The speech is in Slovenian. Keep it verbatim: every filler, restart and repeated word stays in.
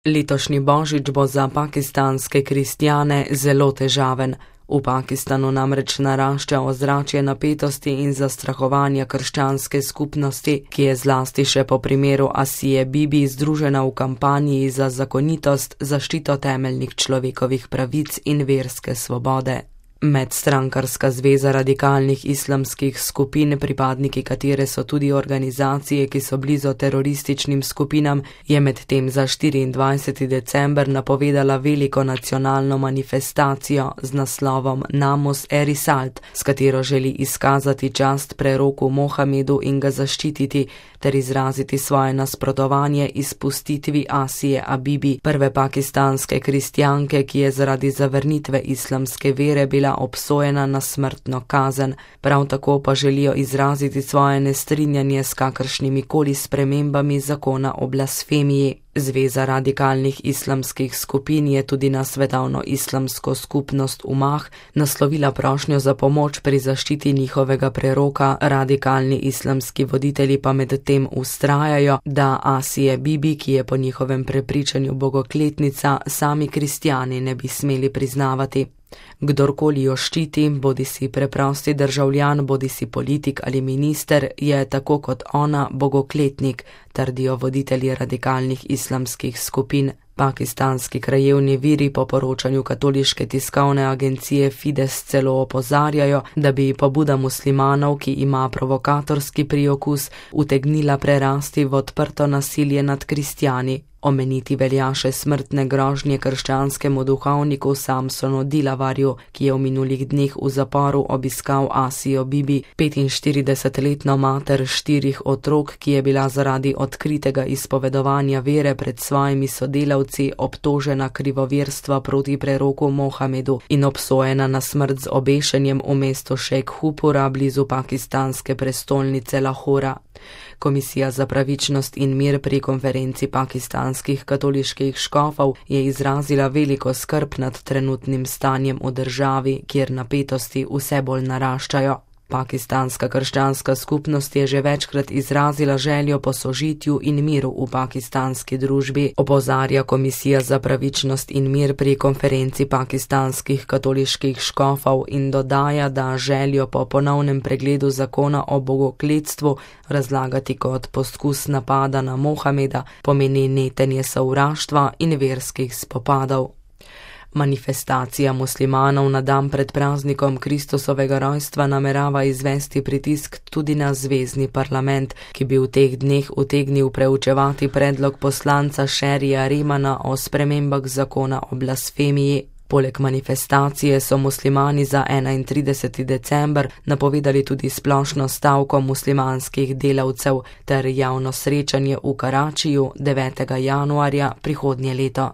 Letošnji božič bo za pakistanske kristjane zelo težaven. V Pakistanu namreč narašča ozračje napetosti in zastrahovanja krščanske skupnosti, ki je zlasti še po primeru Asije Bibi združena v kampanji za zakonitost, zaščito temeljnih človekovih pravic in verske svobode. Medstrankarska zveza radikalnih islamskih skupin, pripadniki katere so tudi organizacije, ki so blizu terorističnim skupinam, je medtem za štiriindvajseti december napovedala veliko nacionalno manifestacijo z naslovom Namus e-Risalt, s katero želi izkazati čast preroku Mohamedu in ga zaščititi ter izraziti svoje nasprotovanje izpustitvi Asije Bibi, prve pakistanske kristjanke, ki je zaradi zavrnitve islamske vere bila obsojena na smrtno kazen. Prav tako pa želijo izraziti svoje nestrinjanje s kakršnimi koli spremembami zakona o blasfemiji. Zveza radikalnih islamskih skupin je tudi na svetovno islamsko skupnost Umah naslovila prošnjo za pomoč pri zaščiti njihovega preroka, radikalni islamski voditelji pa medtem vztrajajo, da Asije Bibi, ki je po njihovem prepričanju bogokletnica, sami kristjani ne bi smeli priznavati. Kdorkoli jo ščiti, bodisi preprosti državljan, bodisi politik ali minister, je tako kot ona bogokletnik, trdijo voditelji radikalnih islamskih skupin. Pakistanski krajevni viri po poročanju katoliške tiskovne agencije Fides celo opozarjajo, da bi pobuda muslimanov, ki ima provokatorski priokus, utegnila prerasti v odprto nasilje nad kristjani. Omeniti velja še smrtne grožnje krščanskemu duhovniku Samsonu Dilavarju, ki je v minulih dneh v zaporu obiskal Asijo Bibi, petinštiridesetletno mater štirih otrok, ki je bila zaradi odkritega izpovedovanja vere pred svojimi sodelavci obtožena krivoverstva proti preroku Mohamedu in obsojena na smrt z obešenjem v mestu Šejkhupura blizu pakistanske prestolnice Lahora. Komisija za pravičnost in mir pri konferenci pakistanskih katoliških škofov je izrazila veliko skrb nad trenutnim stanjem v državi, kjer napetosti vse bolj naraščajo. Pakistanska krščanska skupnost je že večkrat izrazila željo po sožitju in miru v pakistanski družbi, opozarja Komisija za pravičnost in mir pri konferenci pakistanskih katoliških škofov in dodaja, da željo po ponovnem pregledu zakona o bogokletstvu razlagati kot poskus napada na Mohameda pomeni netenje sovraštva in verskih spopadov. Manifestacija muslimanov na dan pred praznikom Kristusovega rojstva namerava izvesti pritisk tudi na zvezni parlament, ki bi v teh dneh utegnil preučevati predlog poslanca Sherija Remana o spremembah zakona o blasfemiji. Poleg manifestacije so muslimani za enaintrideseti december napovedali tudi splošno stavko muslimanskih delavcev ter javno srečanje v Karačiju devetega januarja prihodnje leto.